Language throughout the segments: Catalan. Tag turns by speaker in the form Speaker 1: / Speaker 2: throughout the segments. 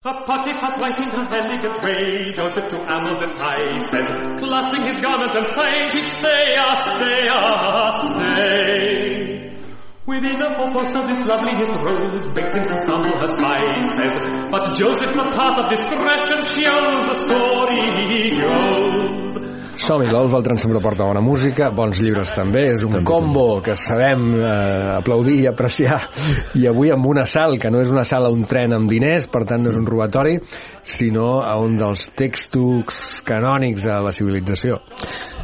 Speaker 1: A Potiphar's wife in her elegant way, Joseph to Amos entices, clasping his garment and saying, he'd stay, stay. Within a 4 posts of this loveliest rose, begs him to sample her spices, but Joseph, the path of discretion, chose, the story goes.
Speaker 2: Som-hi, l'Olf, el Tren sempre porta bona música, bons llibres també, és un combo que sabem aplaudir i apreciar, i avui amb un assalt, que no és un assalt a un tren amb diners, per tant no és un robatori, sinó a un dels textos canònics de la civilització.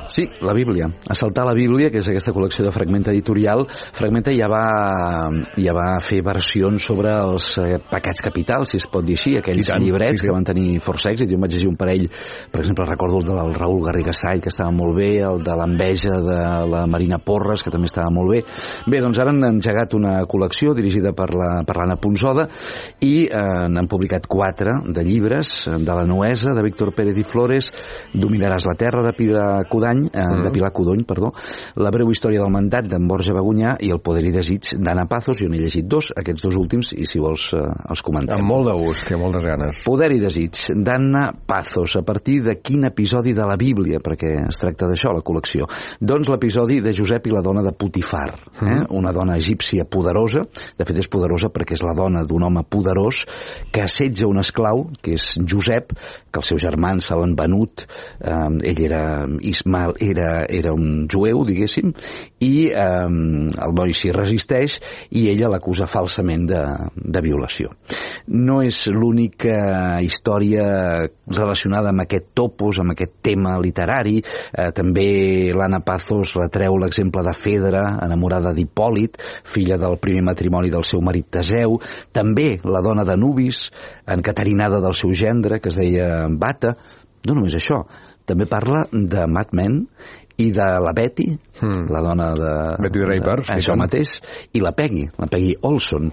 Speaker 3: Sí, la Bíblia. Assaltar la Bíblia, que és aquesta col·lecció de Fragmenta editorial. Fragmenta ja va fer versions sobre els pecats capitals, si es pot dir així, aquells llibrets que van tenir força èxit. Jo em vaig llegir un parell, per exemple, recordo el del Raül Garrigasall, que estava molt bé, el de l'enveja de la Marina Porres, que també estava molt bé. Bé, doncs ara han engegat una col·lecció dirigida per l'Anna Ponsoda i n'han publicat 4 de llibres, de la Nuesa, de Víctor Pérez i Flores, Dominaràs la terra, de Pilar Codony, La breu història del mandat, d'en Borja Bagunyà, i El poder i desig, d'Anna Pazos. Jo n'he llegit 2, aquests 2 últims, i si vols els comentem.
Speaker 2: Amb molt de gust, té moltes ganes.
Speaker 3: Poder i desig, d'Anna Pazos. A partir de quin episodi de la Bíblia? Perquè es tracta d'això, la col·lecció. Doncs l'episodi de Josep i la dona de Potifar, una dona egípcia poderosa. De fet, és poderosa perquè és la dona d'un home poderós que assetja un esclau, que és Josep, que els seus germans se l'han venut. Ell era Ismael, era un jueu, diguéssim, i el noi s'hi resisteix i ella l'acusa falsament de violació. No és l'única història relacionada amb aquest topos, amb aquest tema literari. També l'Anna Pazos retreu l'exemple de Fedra, enamorada d'Hipòlit, filla del primer matrimoni del seu marit Teseu. També la dona de Nubis, encaterinada del seu gendre, que es deia Bata. No només això, també parla de Mad Men i de la Betty, la dona de
Speaker 2: Betty Draper,
Speaker 3: això mateix, i la Peggy Olson,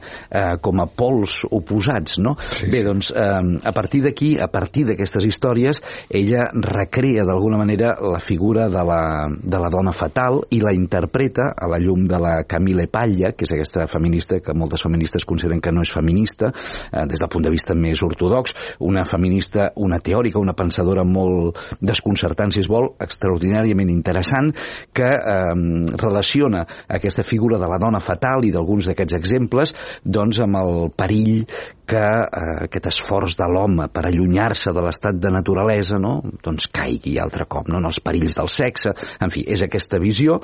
Speaker 3: com a pols oposats, no?
Speaker 2: Sí.
Speaker 3: Bé, doncs, a partir d'aquí, a partir d'aquestes històries, ella recrea d'alguna manera la figura de la dona fatal i la interpreta a la llum de la Camille Paglia, que és aquesta feminista que moltes feministes consideren que no és feminista, des del punt de vista més ortodox, una feminista, una teòrica, una pensadora molt desconcertant, si es vol, extraordinàriament interessant, que relaciona aquesta figura de la dona fatal i d'alguns d'aquests exemples doncs amb el perill que aquest esforç de l'home per allunyar-se de l'estat de naturalesa, no? Doncs caigui altre cop, no? En els perills del sexe. En fi, és aquesta visió,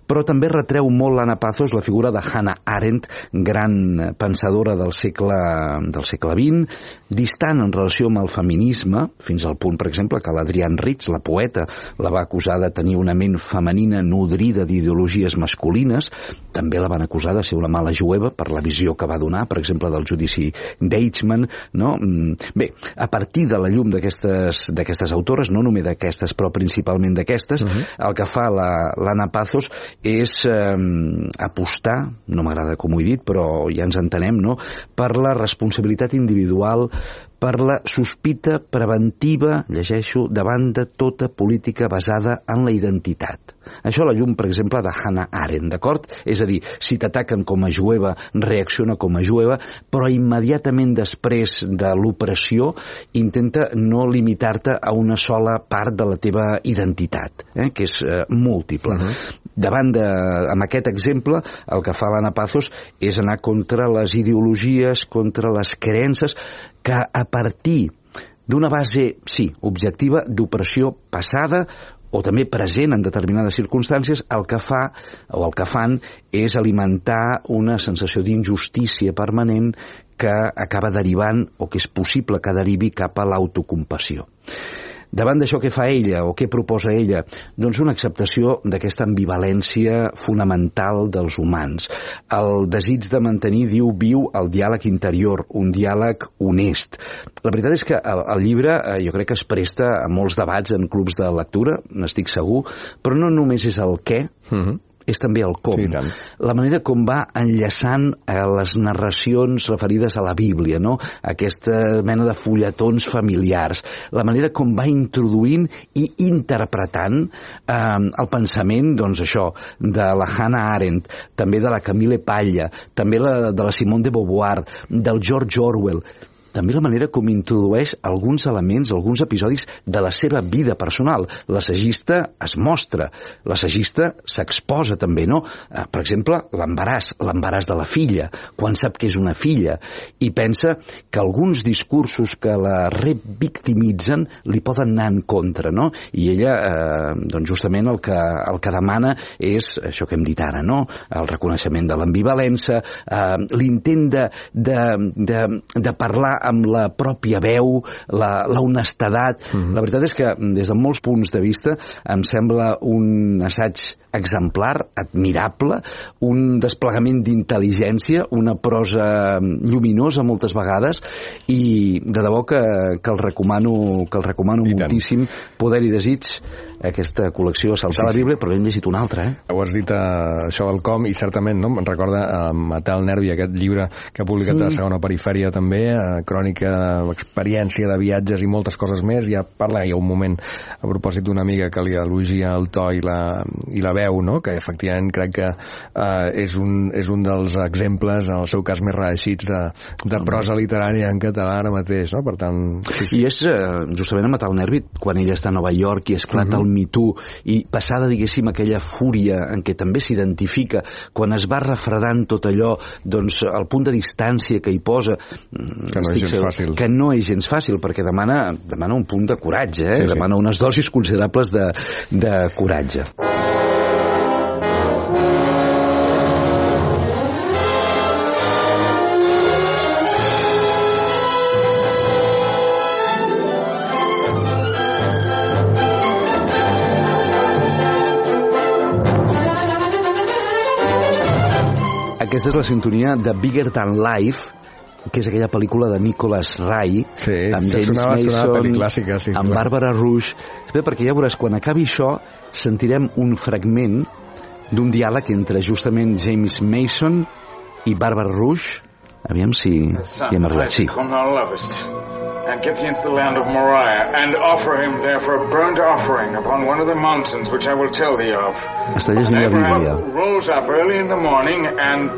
Speaker 3: però també retreu molt l'Anna Pazos la figura de Hannah Arendt, gran pensadora del segle XX, distant en relació amb el feminisme, fins al punt, per exemple, que l'Adrienne Rich, la poeta, la va acusar de tenir una ment femenina nodrida d'ideologies masculines. També la van acusar de ser una mala jueva per la visió que va donar, per exemple, del judici d'Eichmann, no? Bé, a partir de la llum d'aquestes autores, no només d'aquestes, però principalment d'aquestes, el que fa l'Anna Pazos és apostar, no m'agrada com ho he dit, però ja ens entenem, no?, per la responsabilitat individual, per la sospita preventiva, llegeixo, davant de tota política basada en la identitat. Això a la llum, per exemple, de Hannah Arendt, d'acord? És a dir, si t'ataquen com a jueva, reacciona com a jueva, però immediatament després de l'opressió intenta no limitar-te a una sola part de la teva identitat, que és múltiple. Amb aquest exemple, el que fa l'Anna Pazos és anar contra les ideologies, contra les creences, que a partir d'una base, sí, objectiva, d'opressió passada o també present en determinades circumstàncies, el que fa o el que fan és alimentar una sensació d'injustícia permanent que acaba derivant, o que és possible que derivi, cap a l'autocompassió. Davant d'això, què fa ella, o què proposa ella? Doncs una acceptació d'aquesta ambivalència fonamental dels humans. El desig de mantenir, viu el diàleg interior, un diàleg honest. La veritat és que el llibre jo crec que es presta a molts debats en clubs de lectura, n'estic segur, però no només és el què, és també el com.
Speaker 2: Sí,
Speaker 3: la manera com va enllaçant les narracions referides a la Bíblia, no? Aquesta mena de fulletons familiars. La manera com va introduint i interpretant el pensament, doncs això, de la Hannah Arendt, també de la Camille Paglia, també de la Simone de Beauvoir, del George Orwell. també la manera com introdueix alguns elements, alguns episodis de la seva vida personal. L'assagista es mostra, l'assagista s'exposa també, no? Per exemple, l'embaràs de la filla, quan sap que és una filla, i pensa que alguns discursos que la revictimitzen li poden anar en contra, no? I ella, doncs justament el que demana és això que hem dit ara, no? El reconeixement de l'ambivalència, l'intent de parlar amb la pròpia veu, la honestedat. La veritat és que des de molts punts de vista em sembla un assaig exemplar, admirable, un desplegament d'intel·ligència, una prosa lluminosa moltes vegades, i de debò que el recomano moltíssim. Poder i desig, aquesta col·lecció Saltar la Bíblia, però hem llegit una altra,
Speaker 2: Ho has dit, això del com, i certament, no? Em recorda Matar el nervi, aquest llibre que ha publicat a la Segona Perifèria també, crònica d'experiència de viatges i moltes coses més. Ja parla, hi ha un moment a propòsit d'una amiga que li elogia el to i la veu, no? Que efectivament crec que és un dels exemples, en el seu cas més reeixits, de prosa literària en català ara mateix, no? Per tant,
Speaker 3: I és justament a Matar el nervi quan ella està a Nova York i esclata el Me Too, i passada, diguéssim, aquella fúria en què també s'identifica, quan es va refredant tot allò, doncs el punt de distància que hi posa, que no és gens fàcil, perquè demana un punt de coratge, demana unes dosis considerables de coratge. Aquesta és la sintonia de Bigger Than Life, que és aquella pel·lícula de Nicholas Ray, amb James Mason,
Speaker 2: clàssica,
Speaker 3: amb Barbara Rush. Espera, perquè ja veuràs, quan acabi això, sentirem un fragment d'un diàleg entre justament James Mason i Barbara Rush. Aviam si hi hem arribat. Sí.
Speaker 4: And get thee into the land of Moriah, and offer him there for a burnt offering upon one of the mountains which I will tell thee of.
Speaker 3: Està llegint la Bíblia.
Speaker 4: Abraham rose up early in the morning and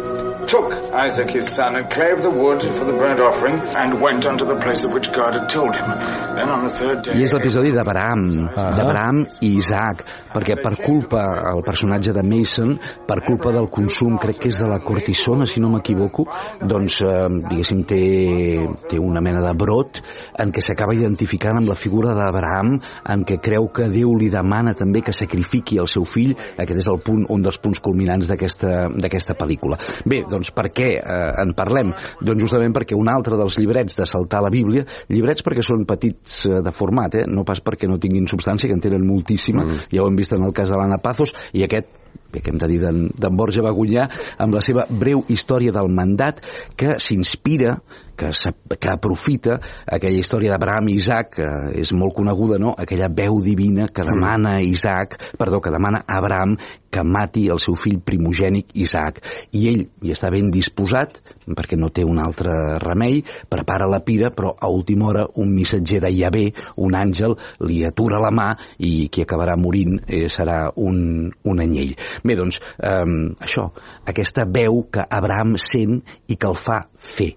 Speaker 4: took Isaac his son and clave the wood for the burnt offering and went unto the place of which God had told him. Then on the third day...
Speaker 3: I és l'episodi d'Abraham i Isaac, perquè per culpa, el personatge de Mason, per culpa del consum, crec que és de la cortisona, si no m'equivoco, doncs, diguéssim, té una mena de brot en què s'acaba identificant amb la figura d'Abraham, en què creu que Déu li demana també que sacrifiqui el seu fill. Aquest és un dels punts culminants d'aquesta pel·lícula. Bé, doncs per què en parlem? Doncs justament perquè un altre dels llibrets de Saltar la Bíblia, llibrets perquè són petits de format, no pas perquè no tinguin substància, que en tenen moltíssima, ja ho hem vist en el cas de l'Anna Pazos, i aquest, que hem de dir d'en Borja Bagunyà, amb la seva breu història del mandat, que s'inspira, que aprofita aquella història d'Abraham i Isaac, que és molt coneguda, no? Aquella veu divina que demana que demana a Abraham que mati el seu fill primogènic Isaac, i ell hi està ben disposat, perquè no té un altre remei, prepara la pira, però a última hora un missatger de Yahvé, un àngel, li atura la mà i qui acabarà morint serà un anyell. Bé, doncs, això, aquesta veu que Abraham sent i que el fa fer.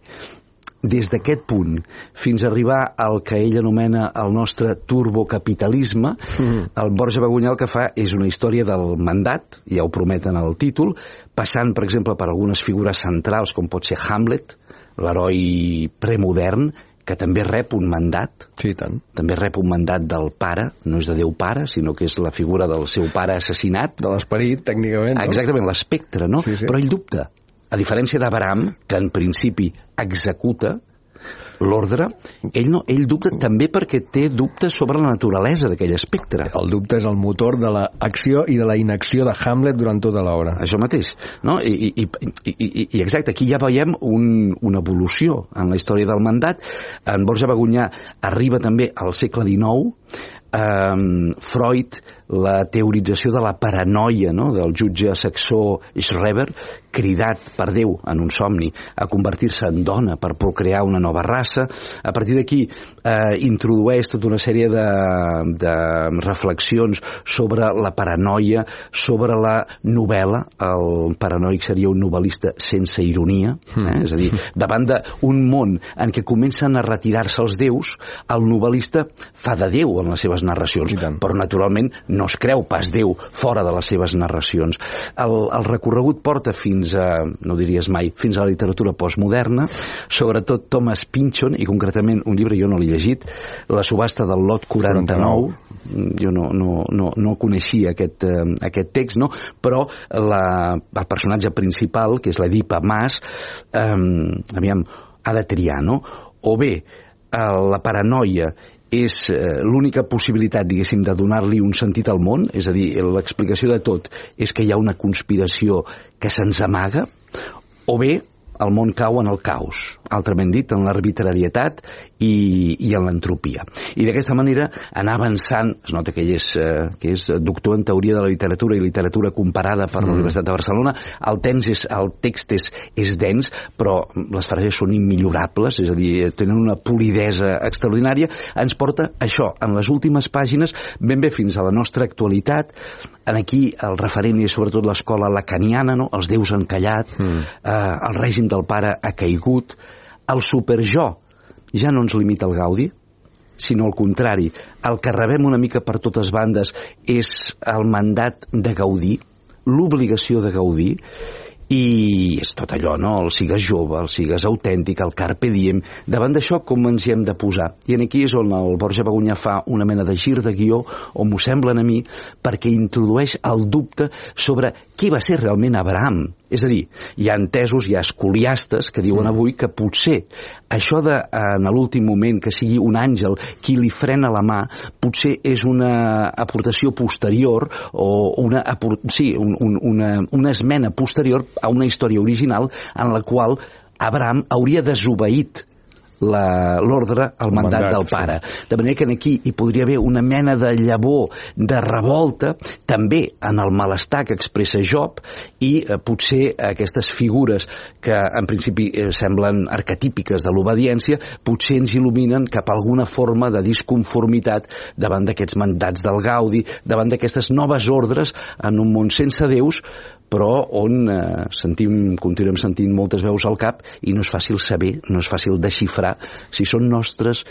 Speaker 3: Des d'aquest punt fins a arribar al que ell anomena el nostre turbocapitalisme, el Borja Bagunyà el que fa és una història del mandat, ja ho prometen al títol, passant, per exemple, per algunes figures centrals, com pot ser Hamlet, l'heroi premodern, que també rep un mandat.
Speaker 2: Sí, tant.
Speaker 3: També rep un mandat del pare, no és de Déu pare, sinó que és la figura del seu pare assassinat.
Speaker 2: De l'esperit, tècnicament, no?
Speaker 3: Exactament, l'espectre, no?
Speaker 2: Sí.
Speaker 3: Però ell dubta. A diferència d'Abraham, que en principi executa l'ordre, ell dubta també perquè té dubtes sobre la naturalesa d'aquell espectre.
Speaker 2: El dubte és el motor de l'acció i de la inacció de Hamlet durant tota l'obra.
Speaker 3: Això mateix, no? I exacte, aquí ja veiem una evolució en la història del mandat. En Borja Bagunyà arriba també al segle XIX, Freud, la teorització de la paranoia, no?, del jutge saxó Schreber, cridat per Déu en un somni a convertir-se en dona per procrear una nova raça. A partir d'aquí introdueix tota una sèrie de reflexions sobre la paranoia, sobre la novel·la. El paranoic seria un novel·lista sense ironia, és a dir, davant d'un món en què comencen a retirar-se els déus, el novel·lista fa de Déu en les seves narracions, però naturalment no es creu pas Déu fora de les seves narracions. El recorregut porta fins a, no diries mai, fins a la literatura postmoderna, sobretot Thomas Pynchon, i concretament un llibre jo no l'he llegit, La subhasta del lot 49. Jo no coneixia aquest text, no? Però el personatge principal, que és l'Edipa Mas, ha de triar, no? O bé la paranoia és l'única possibilitat, diguéssim, de donar-li un sentit al món, és a dir, l'explicació de tot és que hi ha una conspiració que se'ns amaga, o bé el món cau en el caos, altrament dit, en l'arbitrarietat i en l'entropia. I d'aquesta manera anar avançant, es nota que ell és doctor en teoria de la literatura i literatura comparada per la Universitat de Barcelona. El text és dens, però les frases són immillorables, és a dir, tenen una polidesa extraordinària. Ens porta això, en les últimes pàgines, ben bé fins a la nostra actualitat. Aquí el referent és sobretot l'escola lacaniana, no? Els déus han callat, el règim del pare ha caigut, el superjo ja no ens limita el gaudi, sinó al contrari, el que rebem una mica per totes bandes és el mandat de gaudir, l'obligació de gaudir, i és tot allò, no? El sigues jove, el sigues autèntic, el carpe diem. Davant d'això, com ens hi hem de posar? I aquí és on el Borja Begunyà fa una mena de gir de guió, o m'ho semblen a mi, perquè introdueix el dubte sobre qui va ser realment Abraham. És a dir, hi ha entesos, hi ha escoliastes que diuen avui que potser això de, en l'últim moment, que sigui un àngel qui li frena la mà, potser és una aportació posterior o una esmena posterior a una història original en la qual Abraham hauria desobeït l'ordre, el mandat del pare. De manera que aquí hi podria haver una mena de llavor de revolta, també en el malestar que expressa Job, i potser aquestes figures que en principi semblen arquetípiques de l'obediència, potser ens il·luminen cap a alguna forma de disconformitat davant d'aquests mandats del Gaudi, davant d'aquestes noves ordres en un món sense déus, però on continuem sentint moltes veus al cap i no és fàcil saber, no és fàcil desxifrar si són nostres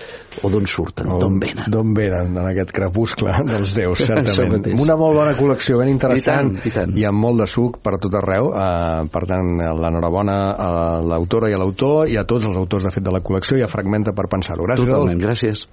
Speaker 3: o d'on surten, d'on venen.
Speaker 2: D'on venen, en aquest crepuscle dels déus, certament. Una molt bona col·lecció, ben interessant, i amb molt de suc per tot arreu. Per tant, l'enhorabona a l'autora i a l'autor, i a tots els autors, de fet, de la col·lecció, i a Fragmenta per pensar-ho. Gràcies,
Speaker 3: Totalment, gràcies.